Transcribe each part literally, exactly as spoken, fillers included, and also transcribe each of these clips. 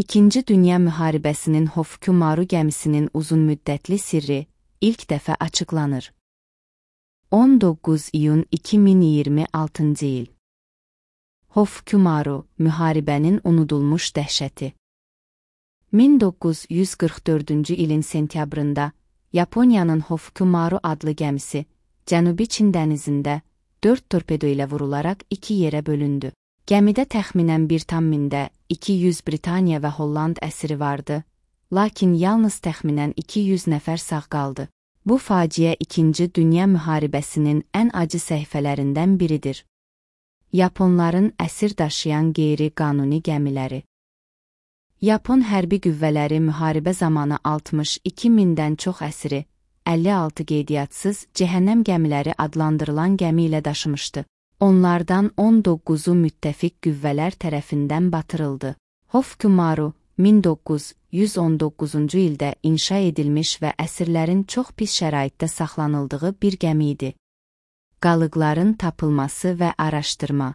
İkinci Dünya Müharibəsinin Hofukumaru gəmisinin uzunmüddətli sirri ilk dəfə açıqlanır. on doqquz iyun iki min iyirmi altıncı il. Hofukumaru, müharibənin unudulmuş dəhşəti. min doqquz yüz qırx dördüncü ilin sentyabrında Yaponiyanın Hofukumaru adlı gəmisi Cənubi Çin dənizində dörd torpedo ilə vurularaq iki yerə bölündü. Gəmidə təxminən bir tam mində iki yüz Britaniya və Holland əsiri vardı, lakin yalnız təxminən iki yüz nəfər sağ qaldı. Bu faciə İkinci Dünya Müharibəsinin ən acı səhifələrindən biridir. Yaponların əsir daşıyan qeyri-qanuni gəmiləri. Yapon hərbi qüvvələri müharibə zamanı altmış iki mindən çox əsiri, əlli altı qeydiyyatssız cəhənnəm gəmiləri adlandırılan gəmi ilə daşımışdı. Onlardan on doqquzu müttəfiq qüvvələr tərəfindən batırıldı. Hofukumaru, min doqquz yüz on doqquzuncu ildə inşa edilmiş və əsirlərin çox pis şəraitdə saxlanıldığı bir gəmi idi. Qalıqların tapılması və araşdırma.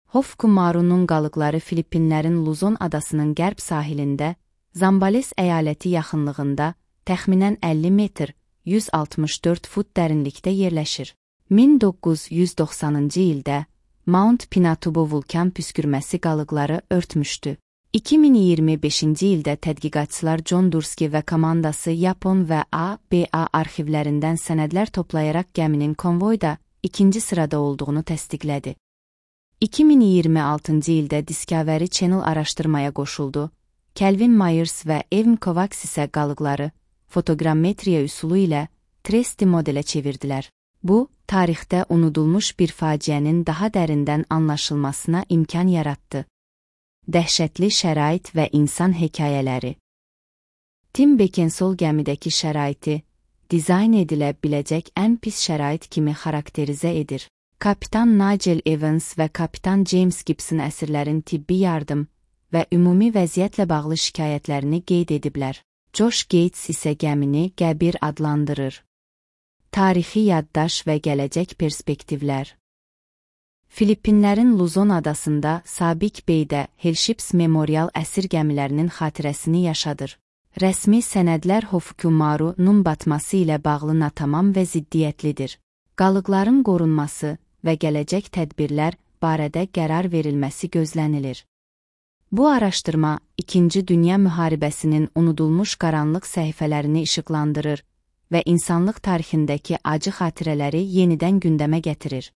Hofukumaru'nun qalıqları Filippinlərin Luzon adasının qərb sahilində, Zambales əyaləti yaxınlığında, təxminən əlli metr, yüz altmış dörd fut dərinlikdə yerləşir. min doqquz yüz doxsanıncı ildə Mount Pinatubo vulkan püskürməsi qalıqları örtmüşdü. iki min iyirmi beşinci ildə tədqiqatçılar John Durski və komandası Yapon və A B A arxivlərindən sənədlər toplayaraq gəminin konvoyda ikinci sırada olduğunu təsdiqlədi. iki min iyirmi altıncı ildə Discovery Channel araşdırmaya qoşuldu. Kelvin Myers və Evan Kovacs isə qalıqları fotoqrammetriya üsulu ilə üç D modelə çevirdilər. Bu, tarixdə unudulmuş bir faciənin daha dərindən anlaşılmasına imkan yaratdı. Dəhşətli şərait və insan hekayələri. Tim Beckinsale gəmidəki şəraiti, dizayn edilə biləcək ən pis şərait kimi xarakterizə edir. Kapitan Nigel Evans və Kapitan James Gibson əsirlərin tibbi yardım və ümumi vəziyyətlə bağlı şikayətlərini qeyd ediblər. Josh Gates isə gəmini qəbir adlandırır. Tarixi yaddaş və gələcək perspektivlər. Filippinlərin Luzon adasında Sabik Beydə Hellships Memorial əsir gəmilərinin xatirəsini yaşadır. Rəsmi sənədlər Hofukumaru'nun batması ilə bağlı natamam və ziddiyyətlidir. Qalıqların qorunması və gələcək tədbirlər barədə qərar verilməsi gözlənilir. Bu araşdırma İkinci Dünya Müharibəsinin unudulmuş qaranlıq səhifələrini işıqlandırır və insanlıq tarixindəki acı xatirələri yenidən gündəmə gətirir.